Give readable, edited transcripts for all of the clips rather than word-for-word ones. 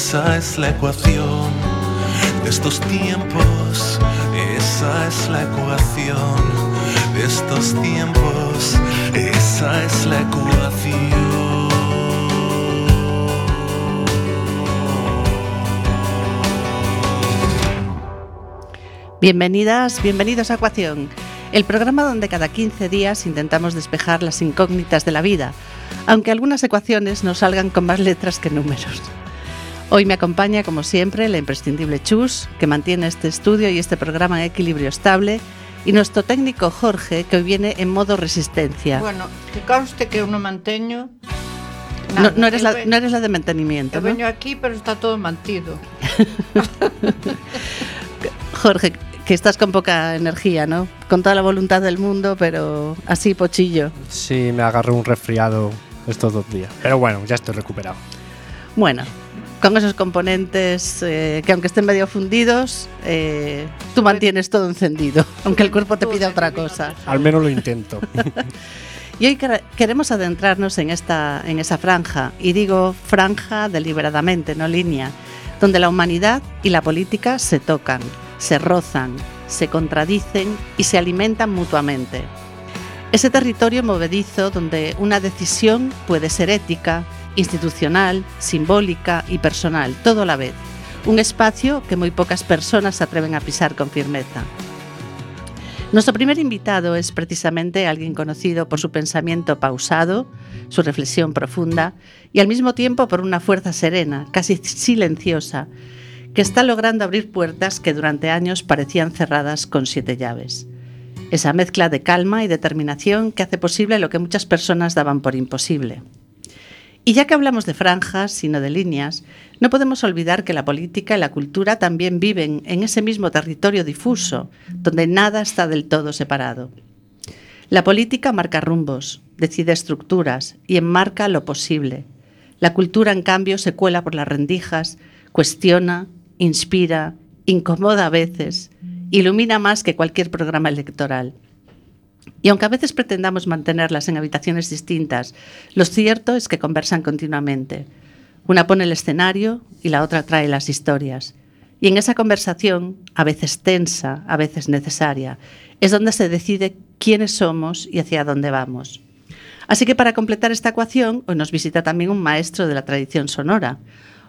esa es la ecuación de estos tiempos, esa es la ecuación de estos tiempos, esa es la ecuación. Bienvenidas, bienvenidos a Ecuación, el programa donde cada 15 días intentamos despejar las incógnitas de la vida, aunque algunas ecuaciones nos salgan con más letras que números. Hoy me acompaña, como siempre, la imprescindible Chus, que mantiene este estudio y este programa en equilibrio estable, y nuestro técnico Jorge, que hoy viene en modo resistencia. Bueno, que conste que eu non manteño nada. No eres la de mantenimiento, eu veño aquí, pero está todo mantido. Jorge, que estás con poca energía, ¿no? Con toda la voluntad del mundo, pero así pochillo. Sí, me agarró un resfriado estos 2 días. Pero bueno, ya estoy recuperado. Bueno, con esos componentes que aunque estén medio fundidos, tú mantienes todo encendido, aunque el cuerpo te pida otra cosa. Al menos lo intento. Y hoy queremos adentrarnos en esa franja, y digo franja deliberadamente, no línea, donde la humanidad y la política se tocan, se rozan, se contradicen y se alimentan mutuamente. Ese territorio movedizo donde una decisión puede ser ética, institucional, simbólica y personal, todo a la vez. Un espacio que muy pocas personas se atreven a pisar con firmeza. Nuestro primer invitado es precisamente alguien conocido por su pensamiento pausado, su reflexión profunda y al mismo tiempo por una fuerza serena, casi silenciosa, que está logrando abrir puertas que durante años parecían cerradas con 7 llaves. Esa mezcla de calma y determinación que hace posible lo que muchas personas daban por imposible. Y ya que hablamos de franjas y no de líneas, no podemos olvidar que la política y la cultura también viven en ese mismo territorio difuso, donde nada está del todo separado. La política marca rumbos, decide estructuras y enmarca lo posible. La cultura, en cambio, se cuela por las rendijas, cuestiona, inspira, incomoda a veces, ilumina más que cualquier programa electoral. Y aunque a veces pretendamos mantenerlas en habitaciones distintas, lo cierto es que conversan continuamente. Una pone el escenario y la otra trae las historias. Y en esa conversación, a veces tensa, a veces necesaria, es donde se decide quiénes somos y hacia dónde vamos. Así que para completar esta ecuación, hoy nos visita también un maestro de la tradición sonora,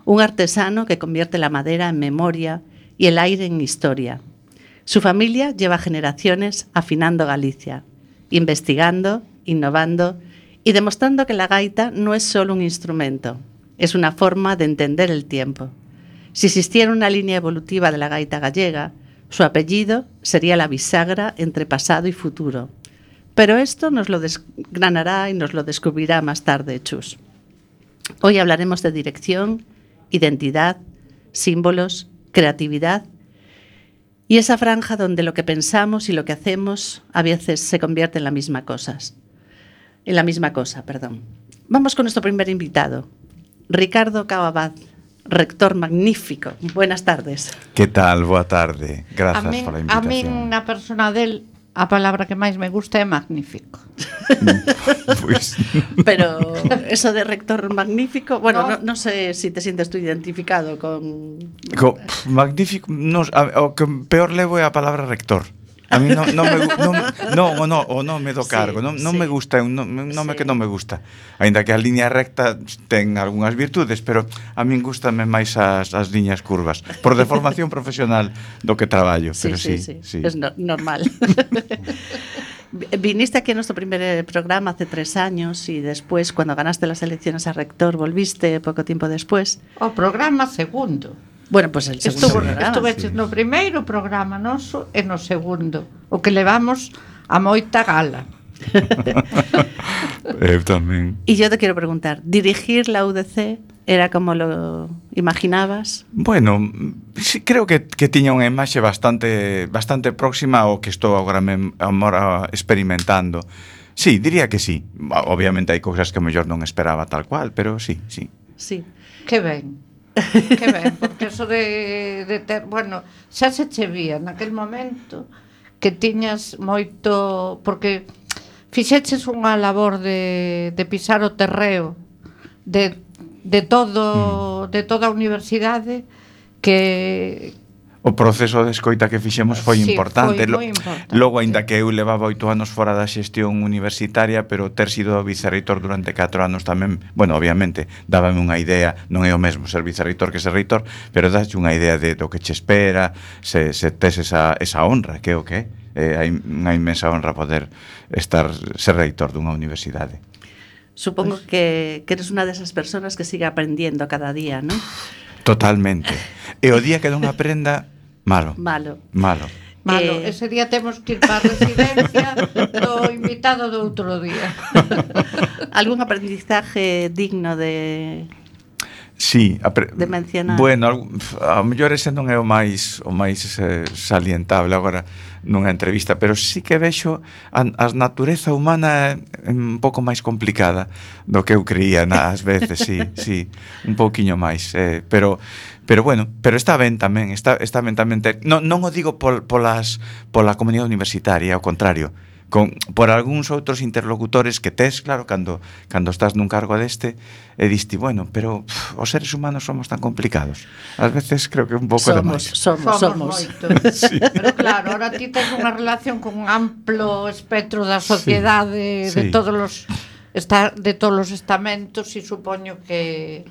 un artesano que convierte la madera en memoria y el aire en historia. Su familia lleva generaciones afinando Galicia, investigando, innovando y demostrando que la gaita no es solo un instrumento, es una forma de entender el tiempo. Si existiera una línea evolutiva de la gaita gallega, su apellido sería la bisagra entre pasado y futuro. Pero esto nos lo desgranará y nos lo descubrirá más tarde Chus. Hoy hablaremos de dirección, identidad, símbolos, creatividad y esa franja donde lo que pensamos y lo que hacemos a veces se convierte en la misma cosa. Vamos con nuestro primer invitado, Ricardo Cao Abad, rector magnífico. Buenas tardes. Que tal? Boa tarde. Grazas pola invitación. A min, na persona del, a palabra que máis me gusta é magnífico. Pues. Pero eso de rector magnífico, bueno, no sé si te sientes tú identificado con... Magnífico, o que peor levo é a palabra rector. A mí non me do cargo, non me gusta, é un nome que non me gusta. Aínda que a línea recta ten algunhas virtudes, pero a min gustame máis as liñas curvas, por deformación profesional do que traballo, pero sí. Es normal. Viniste aquí a nuestro primer programa hace 3 años y después, cuando ganaste las elecciones a rector, volviste poco tiempo después. O programa segundo. Bueno, pues el segundo programa. Estuve no primeiro programa noso e no segundo, o que levamos a moita gala. Eu tamén. Y yo te quiero preguntar, ¿dirigir la UDC era como lo imaginabas? Bueno, sí, creo que tiña unha imaxe bastante próxima ao que estou agora experimentando. Sí, diría que sí. Obviamente hai cousas que mellor non esperaba tal cual, pero sí. Sí. Que ben. Que ben, porque eso de ter, bueno, xa se che vía naquel momento que tiñas moito, porque fixeches unha labor de pisar o terreo, de de toda a universidade que o proceso de escoita que fixemos foi sí, importante. Foi moi importante. Logo, aínda que eu levaba 8 anos fora da xestión universitaria, pero ter sido vicerreitor durante 4 anos tamén, bueno, obviamente, dábame unha idea, non é o mesmo ser vicerreitor que ser reitor, pero dache unha idea de do que che espera, se tes esa honra, que é o que é unha inmensa honra poder ser reitor dunha universidade. Supongo que eres unha desas persoas que sigue aprendiendo cada día, ¿no? Totalmente. E o día que non aprenda, malo. Malo. Ese día temos que ir para a residencia do invitado do outro día. Algún aprendizaje digno de mencionar? Bueno, a mellor ese non é o máis salientable agora nunha entrevista, pero sí que vexo a natureza humana un pouco máis complicada do que eu creía ás veces, sí, un pouquiño máis, pero bueno, pero está ben tamén, está ben tamén non o digo pola comunidade universitaria, ao contrario, por algúns outros interlocutores que tes, claro, cando estás nun cargo deste, e diste, bueno, pero os seres humanos somos tan complicados. Ás veces creo que un pouco demais. Somos. Sí. Pero claro, ahora ti tens unha relación con un amplo espectro da sociedade, sí. de todos os estamentos, e supoño que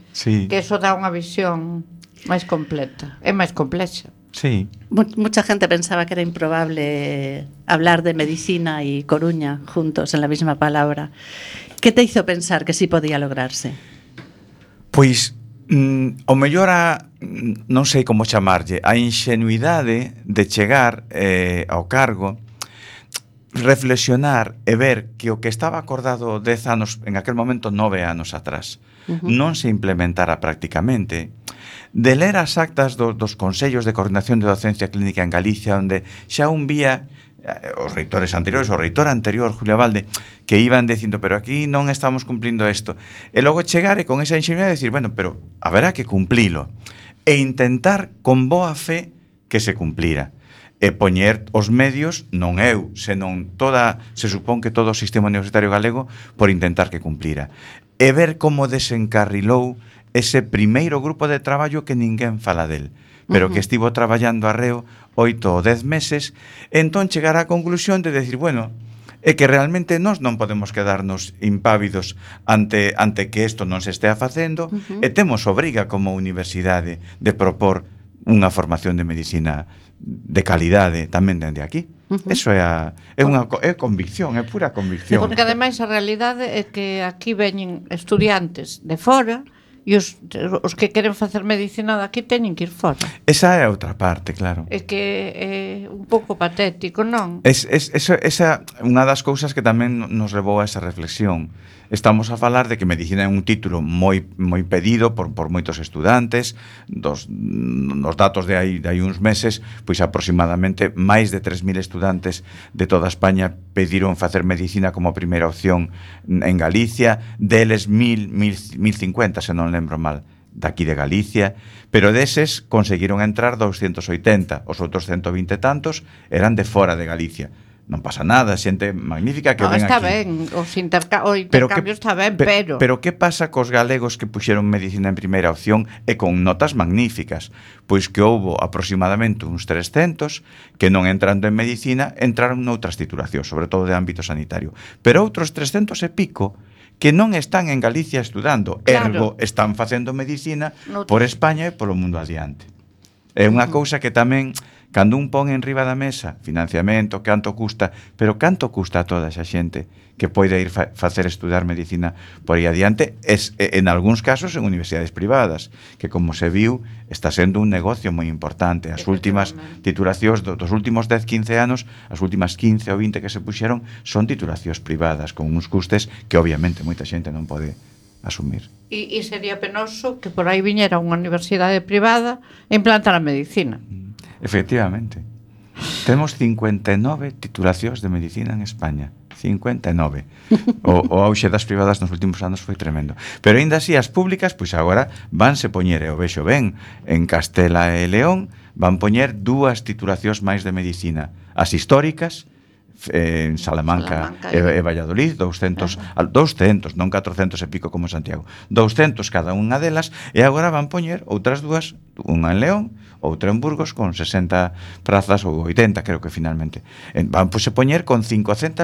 eso dá unha visión máis completa, é máis complexa. Sí. Mucha gente pensaba que era improbable hablar de medicina y Coruña juntos en la misma palabra. ¿Qué te hizo pensar que sí podía lograrse? Pois o mellor non sei como chamarlle, a inxenuidade de chegar ao cargo, reflexionar e ver que o que estaba acordado 10 anos, en aquel momento 9 anos atrás, non se implementara prácticamente, de ler as actas dos Consellos de Coordinación de Docencia Clínica en Galicia, onde xa un vía os reitores anteriores, o reitor anterior, Julio Valde, que iban dicindo, pero aquí non estamos cumplindo isto. E logo chegar e con esa inxenuidade decir, bueno, pero haberá que cumplilo. E intentar con boa fe que se cumplira. E poñer os medios, non eu, senón se supón que todo o sistema universitario galego, por intentar que cumplira. E ver como desencarrilou ese primeiro grupo de traballo que ninguén fala del, pero que estivo traballando arreo 8 ou 10 meses, entón chegar á conclusión de decir, bueno, é que realmente nós non podemos quedarnos impávidos ante que isto non se estea facendo, e temos obriga como universidade de propor unha formación de medicina de calidade tamén dende aquí. Eso é convicción, é pura convicción. Porque ademais a realidade é que aquí veñen estudiantes de fora e os que queren facer medicina daqui teñen que ir fora. Esa é a outra parte, claro. É que é un pouco patético, non? Esa unha das cousas que tamén nos levou a esa reflexión. Estamos a falar de que medicina é un título moi pedido por moitos estudantes. Nos datos de hai uns meses, pois aproximadamente máis de 3.000 estudantes de toda España pediron facer medicina como primeira opción en Galicia, deles 1.050, se non lembro mal, daqui de Galicia, pero deses conseguiron entrar 280, os outros 120 tantos eran de fora de Galicia. Non pasa nada, xente magnífica que ven aquí. Está ben, o intercambio está ben, pero... Pero que pasa cos galegos que puxeron medicina en primeira opción e con notas magníficas? Pois que houbo aproximadamente uns 300 que non entrando en medicina entraron noutras titulacións, sobre todo de ámbito sanitario. Pero outros 300 e pico que non están en Galicia estudando, ergo están facendo medicina por España e polo mundo adiante. É unha cousa que tamén, cando un pon en riba da mesa financiamento, canto custa, pero canto custa a toda esa xente que poida ir facer estudar medicina por aí adiante, en algúns casos en universidades privadas, que como se viu, está sendo un negocio moi importante. As últimas titulacións dos últimos 10-15 anos, as últimas 15 ou 20 que se puxeron, son titulacións privadas, con uns custes que obviamente moita xente non pode asumir. E sería penoso que por aí viñera unha universidade privada e implantar a medicina. Efectivamente. Temos 59 titulacións de medicina en España. 59. O auxe das privadas nos últimos anos foi tremendo. Pero aínda así, as públicas, pois agora vanse poñer, e o vexo ben, en Castela e León van poñer 2 titulacións máis de medicina. As históricas, en Salamanca e Valladolid, 200, non 400 e pico como Santiago, 200 cada unha delas, e agora van poñer outras dúas, unha en León, outra en Burgos, con 60 prazas ou 80, creo que finalmente. Van a poñer con 550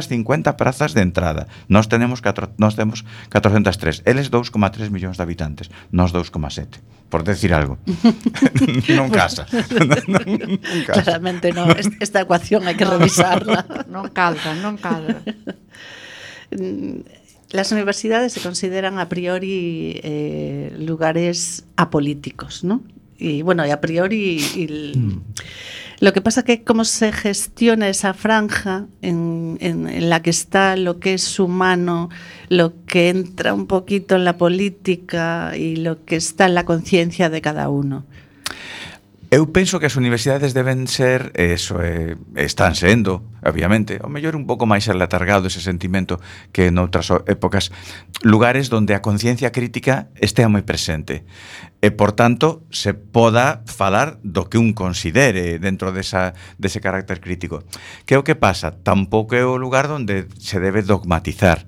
prazas de entrada. Nós temos 403, eles 2,3 millóns de habitantes, nós 2,7, por decir algo. Non casa. Non casa. Claramente non, esta ecuación hai que revisarla. Non cadra. Las universidades se consideran a priori lugares apolíticos, ¿no? Y bueno, y a priori lo que pasa que cómo se gestiona esa franja en la que está lo que es humano, lo que entra un poquito en la política y lo que está en la conciencia de cada uno. Eu penso que as universidades deben ser, están sendo, obviamente, ao mellor un pouco máis alatargado ese sentimento que noutras épocas, lugares donde a conciencia crítica estea moi presente. E, por tanto, se poda falar do que un considere dentro dese carácter crítico. Que é o que pasa? Tampouco é o lugar donde se debe dogmatizar.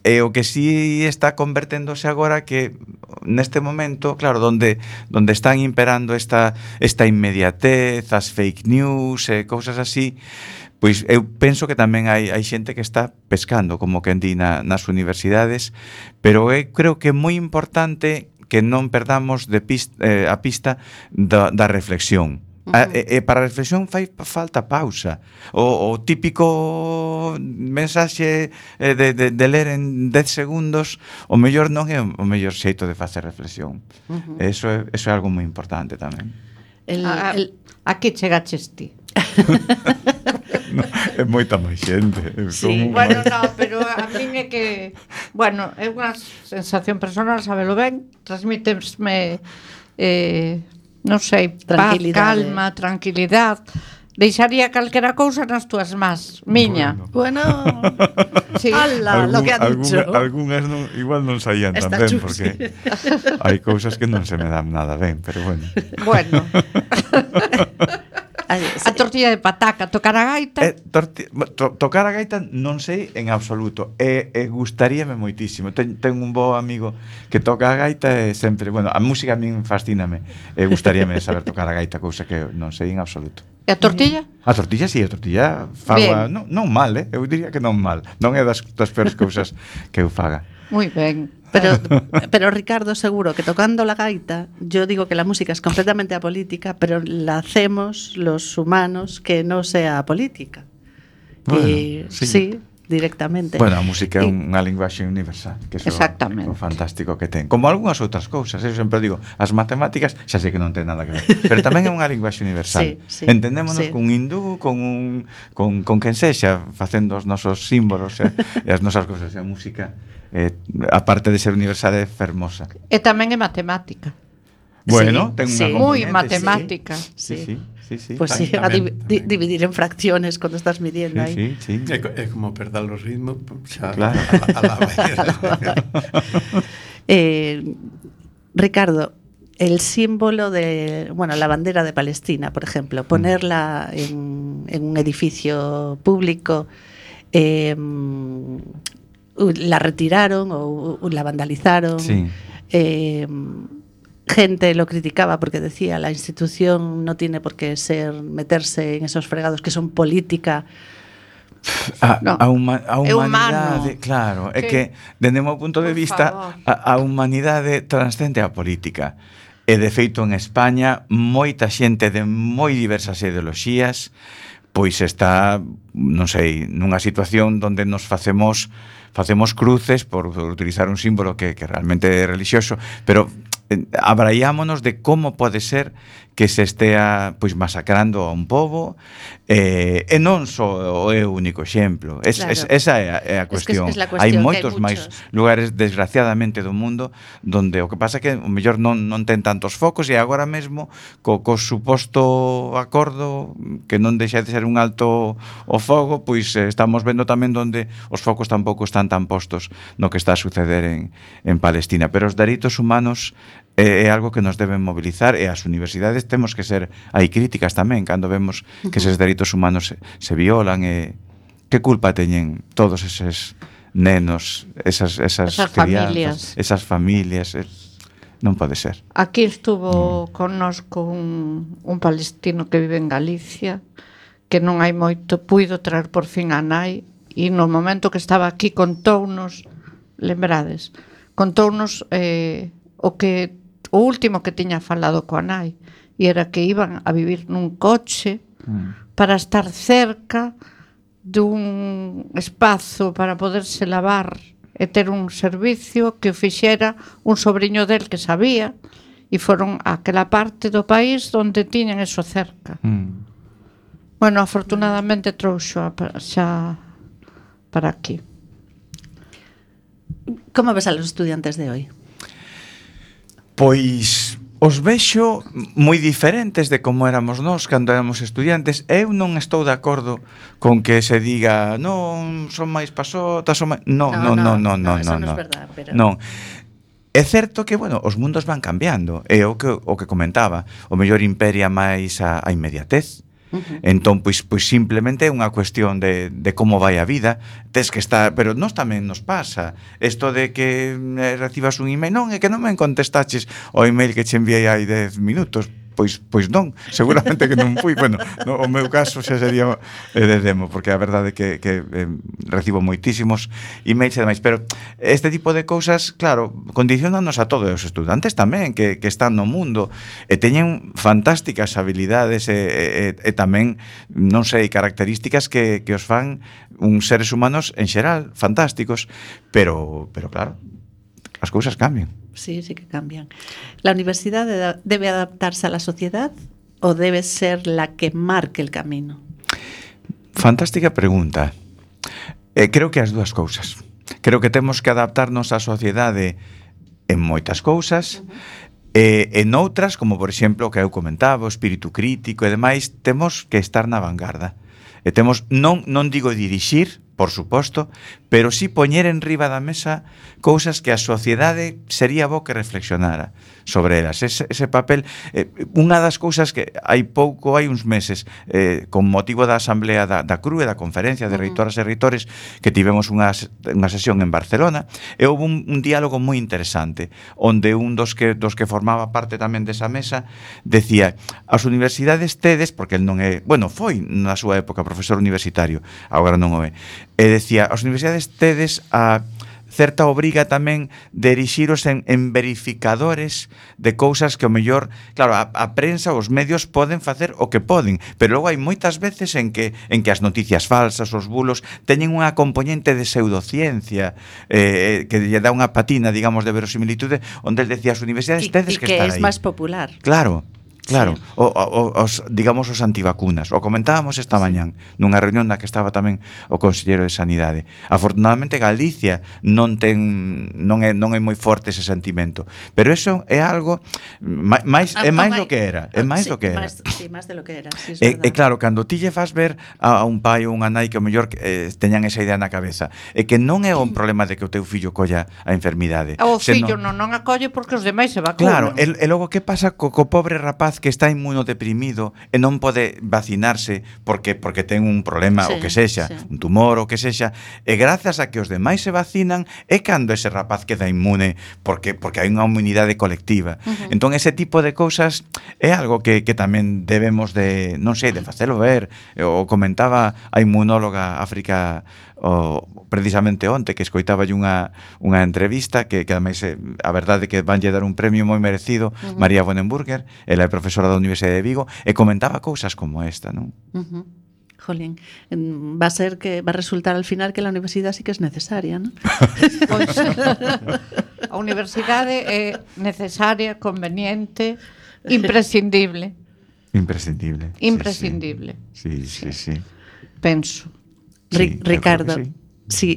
E o que sí está converténdose agora que neste momento, claro, donde están imperando esta inmediatez, as fake news e cousas así, pois eu penso que tamén hai xente que está pescando, como quen di, nas universidades, pero eu creo que é moi importante que non perdamos a pista da reflexión. Para a reflexión fai falta pausa. O típico mensaxe de ler en 10 segundos, o mellor non é o mellor xeito de facer reflexión. Eso é algo moi importante tamén. Aquí chegaches ti. No, é moita máis xente. Sí, bueno, no, pero a min é que, bueno, é unha sensación personal, sabelo ben, transmítesme non sei, paz, calma, tranquilidade. Deixaría calquera cousa nas túas más, miña. Bueno, sí. Ala, lo que ha dicho. Algúnas igual non saían tan ben, porque hai cousas que non se me dan nada ben, pero bueno. Bueno. A tortilla de pataca, tocar a gaita? Tocar a gaita non sei en absoluto. Gustaríame moitísimo. Ten un bo amigo que toca a gaita e sempre, bueno, a música a min fascíname. Gustaríame saber tocar a gaita, cousa que non sei en absoluto. E a tortilla? A tortilla, sí, a tortilla faga, non mal, eu diría que non mal. Non é das peores cousas que eu faga. Moi ben. Pero Ricardo, seguro que tocando la gaita, yo digo que la música es completamente apolítica, pero la hacemos los humanos que no sea apolítica. Bueno, sí, directamente. Bueno, a música é unha linguaxe universal, que é o fantástico que ten. Como algunhas outras cousas, eu sempre digo, as matemáticas xa sei que non ten nada que ver, pero tamén é unha linguaxe universal. Sí. Entendémonos cun hindú, con quen sexa, facendo os nosos símbolos e as nosas cousas. A música, aparte de ser universal, é fermosa. E tamén é matemática. Bueno, ten unha componente. Moi matemática. Sí. Pues sí, a dividir en fracciones cuando estás midiendo ahí. Sí. É como perder los ritmos, xa, claro. a la Ricardo, el símbolo de, bueno, la bandera de Palestina, por ejemplo, ponerla en un edificio público, la retiraron o la vandalizaron. Sí. Gente lo criticaba porque decía la institución no tiene por qué meterse en esos fregados que son política. A humanidade, claro, é que dende o meu punto de vista a humanidade transcende a política. E de feito en España moita xente de moi diversas ideoloxías pois está, non sei, nunha situación onde nos facemos cruces por utilizar un símbolo que realmente é religioso, pero abraiámonos de como pode ser que se estea pois masacrando a un pobo e non só é o único exemplo. Esa é a cuestión. Hai moitos máis lugares, desgraciadamente, do mundo donde o que pasa é que o mellor non ten tantos focos e agora mesmo co suposto acordo que non deixa de ser un alto o fogo, pois estamos vendo tamén donde os focos tampouco están tan postos no que está a suceder en Palestina. Pero os dereitos humanos é algo que nos deben mobilizar, e as universidades temos que ser aí críticas tamén cando vemos que eses dereitos humanos se violan, e que culpa teñen todos eses nenos, esas crianzas, esas familias. Non pode ser. Aquí estuvo connosco un palestino que vive en Galicia, que non hai moito, puido traer por fin a nai, e no momento que estaba aquí contounos, lembrades, contounos o último que tiña falado coa nai, e era que iban a vivir nun coche para estar cerca dun espazo para poderse lavar e ter un servicio que o fixera un sobriño del que sabía, e foron aquela parte do país onde tiñan eso cerca. Bueno, afortunadamente trouxo xa para aquí. Como ves a los estudiantes de hoy? Pois os vexo moi diferentes de como éramos nós cando éramos estudiantes. Eu non estou de acordo con que se diga non, son máis pasotas, son máis... Non, eso non é verdad, pero... Non. É certo que, bueno, os mundos van cambiando. É o que comentaba. O mellor imperia máis a inmediatez. Entón, pois simplemente é unha cuestión de como vai a vida. Tes que estar, pero nós tamén nos pasa isto de que recibas un email, non, é que non me contestaches o email que che enviei hai 10 minutos. Pois non, seguramente que non fui. Bueno, no, o meu caso xa sería de demo, porque a verdade é que recibo moitísimos emails e demais, pero este tipo de cousas, claro, condicionanos a todos os estudantes tamén que están no mundo e teñen fantásticas habilidades e tamén, non sei, características que os fan uns seres humanos en xeral fantásticos, pero claro, as cousas cambian. Sí, sí que cambian. ¿La universidad debe adaptarse a la sociedad o debe ser la que marque el camino? Fantástica pregunta. Creo que as dúas cousas. Creo que temos que adaptarnos á sociedade en moitas cousas, en outras, como por exemplo o que eu comentaba, o espírito crítico e demais, temos que estar na vanguarda. E temos, non digo dirixir, por suposto, pero sí poñer en riba da mesa cousas que a sociedade sería bo que reflexionara sobre elas. Ese papel, unha das cousas que hai uns meses, con motivo da asamblea da CRUE, da conferencia de reitoras e reitores, que tivemos unha sesión en Barcelona, e houve un diálogo moi interesante, onde un dos que formaba parte tamén desa mesa decía, as universidades tedes, porque el non é, bueno, foi na súa época profesor universitario, agora non o é, e decía, as universidades tedes a certa obriga tamén de erixiros en verificadores de cousas que o mellor, claro, a prensa, os medios poden facer o que poden, pero logo hai moitas veces en que as noticias falsas, os bulos, teñen unha componente de pseudociencia que lle dá unha patina, digamos, de verosimilitude, onde el decía, as universidades tedes que estar aí. E que é máis popular. Claro. Claro, sí. Digamos os antivacunas. O comentábamos esta mañán nunha reunión na que estaba tamén o conselleiro de Sanidade. Afortunadamente Galicia non é moi forte ese sentimento, pero eso é algo máis do que era, é máis do que era. Máis de lo que era, sí, e claro, cando ti lle fas ver a un pai ou unha nai que o mellor teñan esa idea na cabeza, é que non é un problema de que o teu fillo colla a enfermidade. O fillo non acolle porque os demais se Claro, vacunan. e logo que pasa co pobre rapaz que está inmunodeprimido e non pode vacinarse porque ten un problema, o que sexa, un tumor, o que sexa, e grazas a que os demais se vacinan é cando ese rapaz queda inmune porque hai unha inmunidade colectiva. Entón ese tipo de cousas é algo que tamén debemos de, non sei, de facelo ver. O comentaba a inmunóloga África precisamente onte, que escoitaba unha entrevista que ademais a verdade que vanlle dar un premio moi merecido, María Bonenburger, ela é profesora da Universidade de Vigo, e comentaba cousas como esta, non? Jolín, va a resultar al final que la universidad sí que es necesaria, ¿no? Pois, a universidade é necesaria, conveniente, imprescindible. Imprescindible. Sí. Penso. Sí, Ricardo, sí.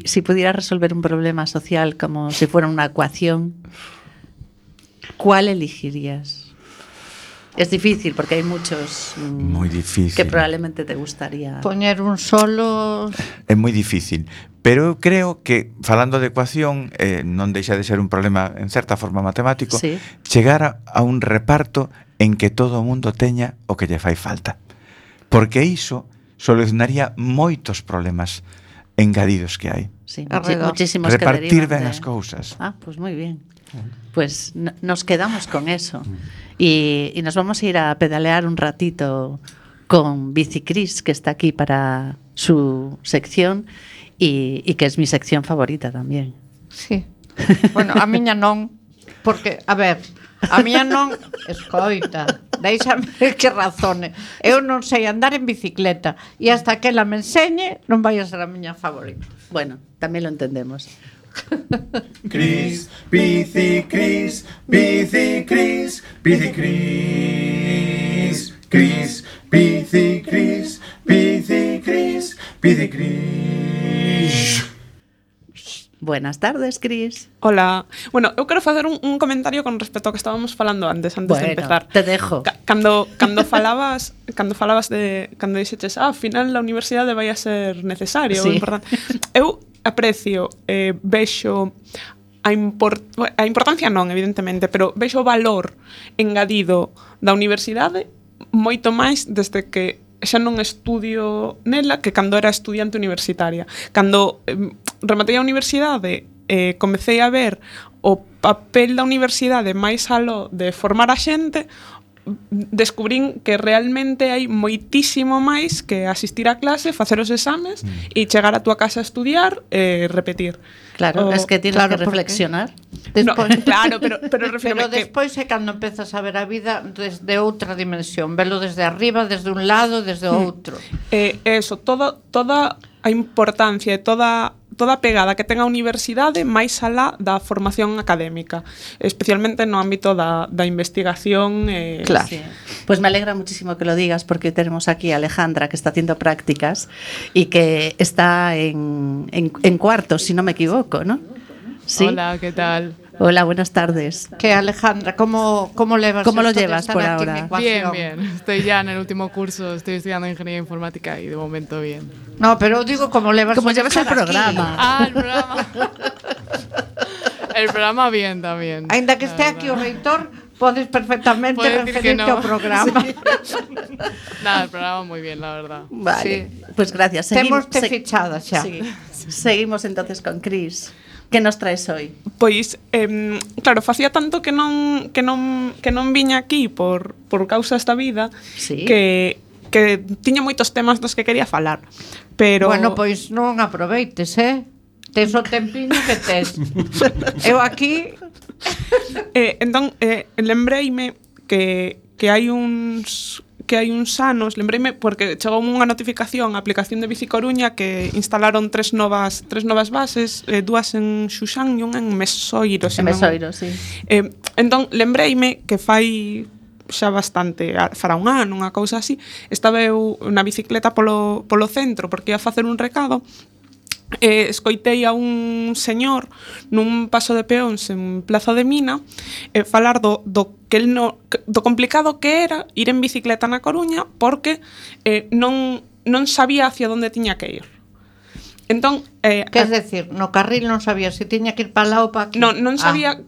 si pudieras resolver un problema social como si fuera una ecuación, ¿cuál elegirías? Es difícil porque hai muchos Moi difícil. que probablemente te gustaría. Poñer un solo... É moi difícil. Pero eu creo que, falando de ecuación, non deixa de ser un problema, en certa forma, matemático, Sí. chegar a un reparto en que todo o mundo teña o que lle fai falta. Porque iso solucionaría moitos problemas engadidos que hai. Sí, Alrededor. muchísimos que Repartir derivan ben de... as cousas. Ah, pues muy bien. Pues nos quedamos con eso. Y nos vamos a ir a pedalear un ratito con Bicicris, que está aquí para su sección y que es mi sección favorita también. Sí. Bueno, a miña non, porque, a ver, a miña non, escoita, deixame que razone. Eu non sei andar en bicicleta e hasta que ela me enseñe non vai a ser a miña favorita. Bueno, también lo entendemos. Cris, Bicicris, Bicicris, Bicicris, Cris, Bicicris, Bicicris, Bicicris. Buenas tardes, Cris. Hola. Bueno, eu quero facer un comentario con respecto ao que estábamos falando antes de empezar. Te dejo. Cando falabas de cando dixeches, ao final a universidade vai a ser necesaria, Sí. ou importante. Eu aprecio, vexo a importancia non, evidentemente, pero vexo o valor engadido da universidade moito máis desde que xa non estudio nela que cando era estudiante universitaria. Cando rematei a universidade, comecei a ver o papel da universidade máis aló de formar a xente, descubrín que realmente hai moitísimo máis que asistir a clase, facer os exames e chegar a túa casa a estudiar e repetir. Claro, es que tienes claro, que reflexionar. No, claro, pero refiro Pero que despois é cando empezas a ver a vida desde outra dimensión, velo desde arriba, desde un lado, desde outro. eso, toda a importancia e toda a pegada que ten a universidade máis alá da formación académica, especialmente no ámbito da investigación. Claro. Sí. Pues me alegra muchísimo que lo digas porque tenemos aquí a Alejandra que está haciendo prácticas y que está en cuarto, si no me equivoco, ¿no? ¿Sí? Hola, ¿qué tal? Hola, buenas tardes. Que Alejandra, ¿cómo levas ¿Cómo lo esto de llevas estar por aquí en ahora? ecuación? Bien. Estoy ya en el último curso, estoy estudiando Ingeniería Informática y de momento bien. No, pero digo cómo levas ¿Cómo o de llevas el estar aquí. programa? Ah, el programa. El programa bien también. Ainda que la esté verdad. aquí o reitor, podes perfectamente Puedo decir que referirte no. ao programa. Nada, el programa muy bien, la verdad. Vale, pues gracias. Temoste fichada xa. Seguimos entonces con Cris. ¿Qué nos traes hoy? Pois, claro, facía tanto que non viña aquí por causa esta vida, Sí. que tiña moitos temas dos que quería falar. Pero Bueno, pois non aproveites, Tes o tempiño que tes. Eu aquí entón lembreime que hai uns anos, lembreime porque chegou unha notificación á aplicación de Bicicoruña que instalaron tres novas bases, dúas en Xuxán e unha en Mesoiro. En Mesoiro, sí. Entón lembreime que fai xa bastante, fará un ano, unha cousa así, estaba eu na bicicleta polo centro porque ia facer un recado. Escoitei a un señor nun paso de peóns en Plaza de Mina falar do complicado que era ir en bicicleta na Coruña porque non sabía hacia onde tiña que ir. Entón, quer decir, no carril non sabía se tiña que ir para lá ou para aquí. Non sabía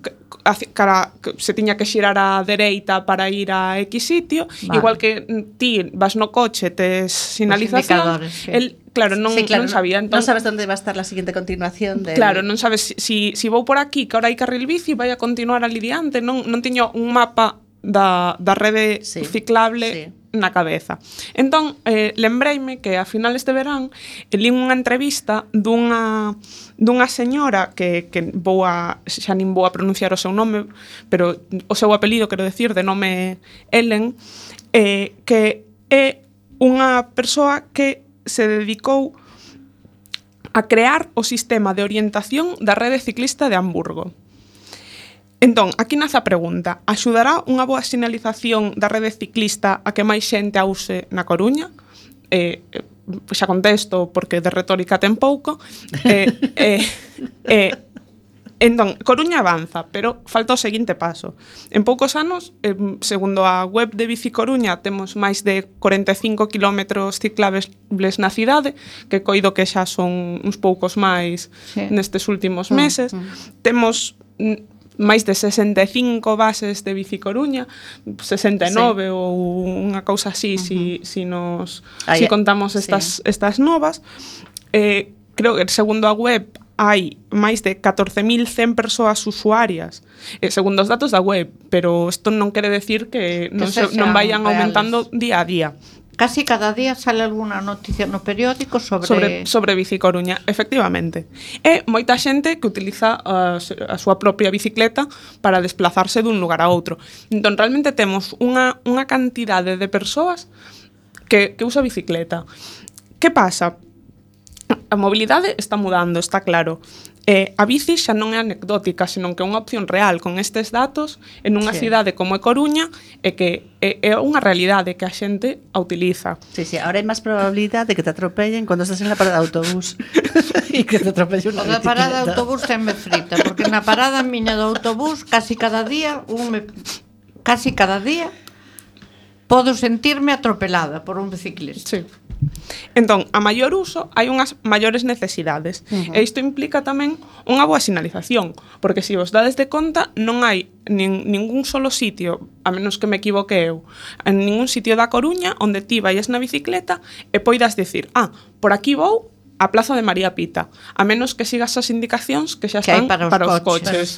se tiña que xirar á dereita para ir a X sitio, Vale. igual que ti vas no coche, tes sinalización, indicadores, sí. el non sabía. No sabes dónde va a estar la siguiente continuación del... Claro, non sabes si vou por aquí, que ahora hai carril bici, vai a continuar ali diante, non tiño un mapa da rede ciclable na cabeza. Entón, lembreime que a finales de verán li unha entrevista dunha señora que xa nin vou a pronunciar o seu nome, pero o seu apelido, quero decir, de nome Ellen, que é unha persoa que se dedicou a crear o sistema de orientación da rede ciclista de Hamburgo. Entón, aquí nace a pregunta: axudará unha boa sinalización da rede ciclista a que máis xente a use na Coruña? Xa contesto porque de retórica ten pouco. Entón, Coruña avanza, pero falta o seguinte paso. En poucos anos, segundo a web de Bici Coruña, temos máis de 45 km ciclables na cidade, que coido que xa son uns poucos máis nestes últimos meses. Temos máis de 65 bases de Bici Coruña, 69 ou unha cousa así, si contamos estas novas. Creo que segundo a web hai máis de 14.100 persoas usuarias, segundo os datos da web, pero isto non quere decir que non vayan aumentando día a día. Casi cada día sale alguna noticia no periódico sobre Bici Coruña, efectivamente. E moita xente que utiliza a súa propia bicicleta para desplazarse dun lugar a outro. Entón, realmente temos unha cantidade de persoas que usa bicicleta. Que pasa? A mobilidade está mudando, está claro. A bici xa non é anecdótica, senón que é unha opción real con estes datos en unha cidade como é Coruña e que é unha realidade que a xente a utiliza. Sí, ahora hai máis probabilidade de que te atropellen cando estás en la parada de autobús e que te atropelle unha bicicleta. A parada de autobús tenme frita, porque na parada miña do autobús casi cada día podo sentirme atropelada por un biciclista. Sí. Entón, a maior uso hai unhas maiores necesidades. E isto implica tamén unha boa sinalización, porque se vos dades de conta, non hai ningún solo sitio, a menos que me equivoque eu, en ningún sitio da Coruña onde ti vayas na bicicleta e poidas dicir, por aquí vou a Plaza de María Pita, a menos que sigas as indicacións que xa están para os coches.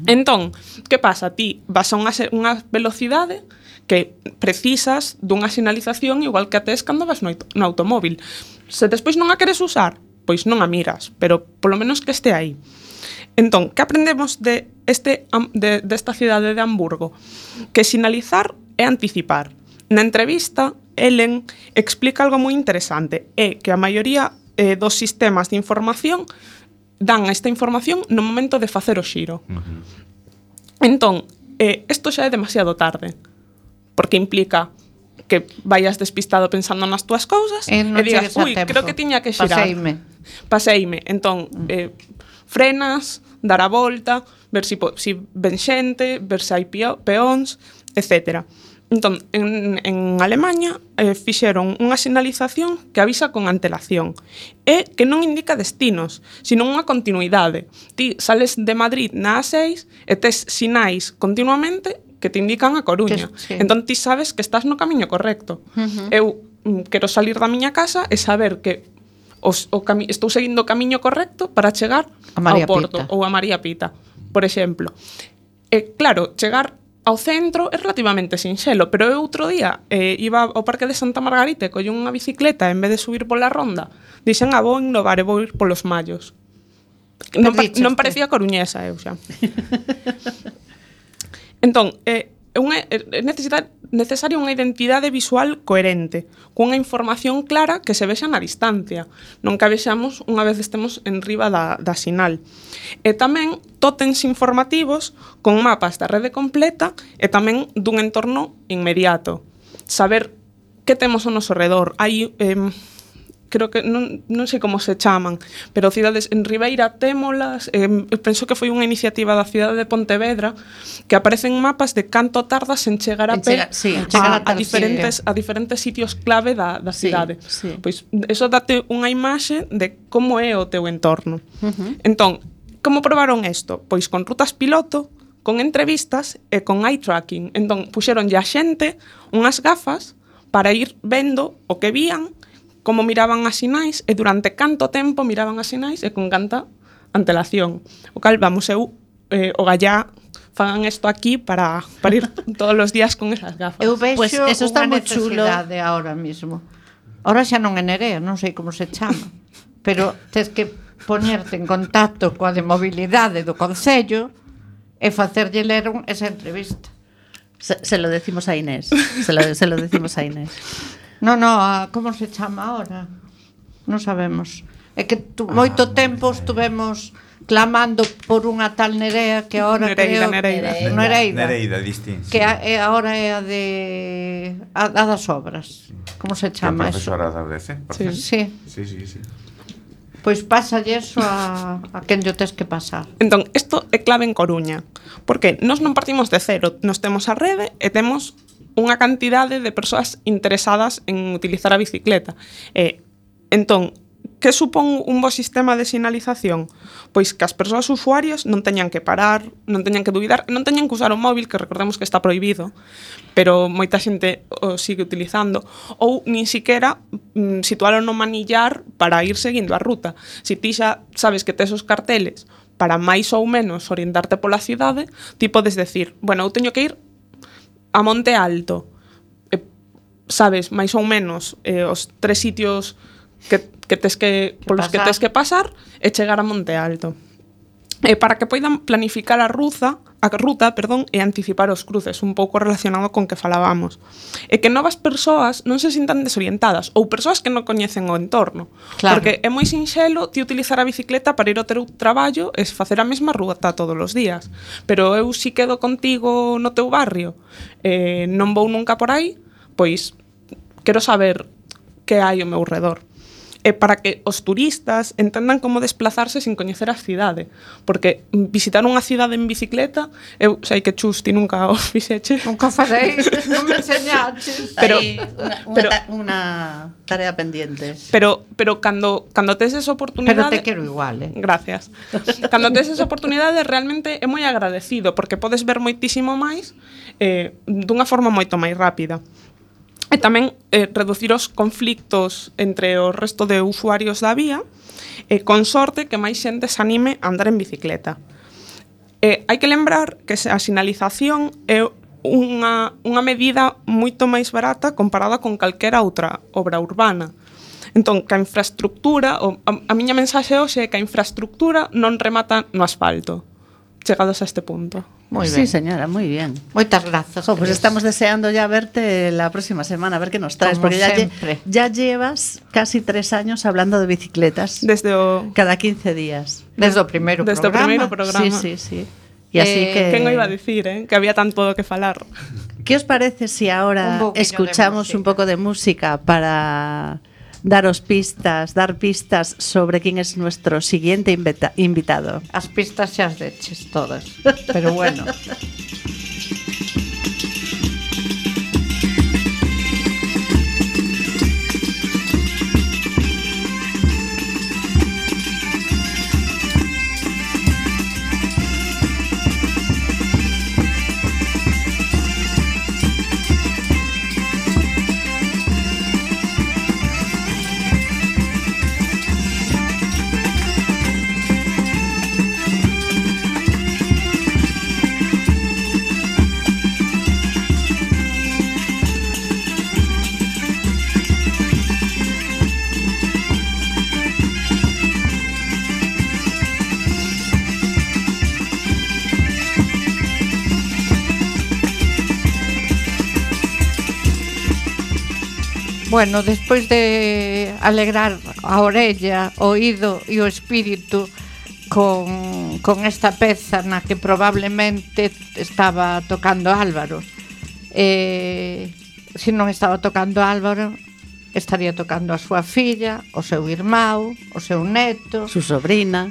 Entón, que pasa? Ti vas a unha velocidade que precisas dunha sinalización igual que a tes cando vas no automóvil. Se despois non a queres usar, pois non a miras, pero polo menos que este aí. Entón, que aprendemos desta cidade de Hamburgo? Que sinalizar é anticipar. Na entrevista, Ellen explica algo moi interesante, é que a maioría dos sistemas de información dan esta información no momento de facer o xiro. Entón, isto xa é demasiado tarde, porque implica que vayas despistado pensando nas túas cousas e digas, creo que tiña que xirar. Paseime. Entón, frenas, dar a volta, ver si ven xente, ver se hai peóns, etc. Entón, en Alemanha fixeron unha sinalización que avisa con antelación e que non indica destinos, sino unha continuidade. Ti sales de Madrid na A6 e tes sinais continuamente que te indican a Coruña. Entón ti sabes que estás no camiño correcto. Eu quero salir da miña casa e saber que estou seguindo o camiño correcto para chegar ao Porto ou a María Pita, por exemplo. E claro, chegar ao centro é relativamente sinxelo, pero eu outro día iba ao Parque de Santa Margarita e collín unha bicicleta en vez de subir pola ronda, dixen, vou innovar e vou ir polos Mallos. Non parecía coruñesa eu xa. Entón, é necesaria unha identidade visual coherente, cunha información clara que se vexa na distancia, non que a vexamos unha vez estemos en riba da sinal. E tamén tótens informativos con mapas da rede completa e tamén dun entorno inmediato. Saber que temos ao noso redor. Hai creo que non sei como se chaman, pero cidades en Ribeira témolas, penso que foi unha iniciativa da cidade de Pontevedra que aparecen mapas de canto tardas en chegar a pé a diferentes sitios clave da cidade. Pois eso date unha imaxe de como é o teu entorno. Entón, como probaron isto? Pois con rutas piloto, con entrevistas e con eye tracking. Entón, puxeronlle a xente unhas gafas para ir vendo o que vían, como miraban as sinais e durante canto tempo miraban as sinais e con canta antelación. O cal, vamos, eu o gallá fagan isto aquí para ir todos os días con esas gafas. Eu vexo pues eso está moi chulo ahora mismo. Ahora xa non é Nerea, non sei como se chama, pero tes que ponerte en contacto coa de mobilidade do Concello e facerlle ler esa entrevista. Se lo decimos a Inés. Se lo decimos a Inés. No, como se chama ahora? Non sabemos. É que moito tempo estuvemos clamando por unha tal Nerea que ahora Nereida distinta. Que agora é a das obras. Como se chama eso? Profesora da UDC, por sí. Sí. Pois pásalle eso a quen yo tes que pasar. Entón, isto é clave en Coruña, porque nós non partimos de cero, nós temos a rede e temos unha cantidade de persoas interesadas en utilizar a bicicleta. Entón, que supón un bo sistema de sinalización? Pois que as persoas usuarias non teñan que parar, non teñan que dubidar, non teñan que usar o móvil, que recordemos que está prohibido, pero moita xente o sigue utilizando, ou nin siquera situalo no manillar para ir seguindo a ruta. Si ti xa sabes que tes os carteles para máis ou menos orientarte pola cidade, ti podes decir, bueno, eu teño que ir a Monte Alto, sabes máis ou menos os 3 sitios que tes que polos que tes que pasar e chegar a Monte Alto. Para que poidan planificar a ruta, e anticipar os cruces, un pouco relacionado con que falábamos. E que novas persoas non se sintan desorientadas, ou persoas que non coñecen o entorno. Claro. Porque é moi sinxelo ti utilizar a bicicleta para ir ao teu traballo e facer a mesma ruta todos os días. Pero eu si quedo contigo no teu barrio, non vou nunca por aí, pois quero saber que hai ao meu redor. Para que os turistas entendan como desplazarse sin coñecer a cidade, porque visitar unha cidade en bicicleta, eu sei que Chus, ti nunca o fixeche. Nunca farei, non me enseñaches. Pero unha tarea pendiente. Pero cando tes esa oportunidade... Pero te quero igual, Gracias. Cando tes esa oportunidade, realmente é moi agradecido, porque podes ver moitísimo máis dunha forma moito máis rápida. E tamén reducir os conflictos entre o resto de usuarios da vía, con sorte que máis xente se anime a andar en bicicleta. Hai que lembrar que a sinalización é unha medida moito máis barata comparada con calquera outra obra urbana. Entón, que a infraestructura, a miña mensaxe hoxe é que a infraestructura non remata no asfalto, chegados a este punto. Muy bien. Sí, señora, muy bien. Moitas grazas. Pues estamos deseando ya verte la próxima semana, a ver qué nos traes, como porque ya llevas casi 3 años hablando de bicicletas. Cada 15 días. Desde o primeiro programa. Sí. Y así que... ¿Quién iba a decir, que había tanto que falar? ¿Qué os parece si ahora escuchamos un poco de música para dar pistas sobre quién es nuestro siguiente invitado? As pistas xa as deches todas, pero bueno. Bueno, despois de alegrar a orella, o oído e o espírito con esta peza na que probablemente estaba tocando Álvaro, se non estaba tocando Álvaro, estaría tocando a súa filla, o seu irmão, o seu neto, su sobrina.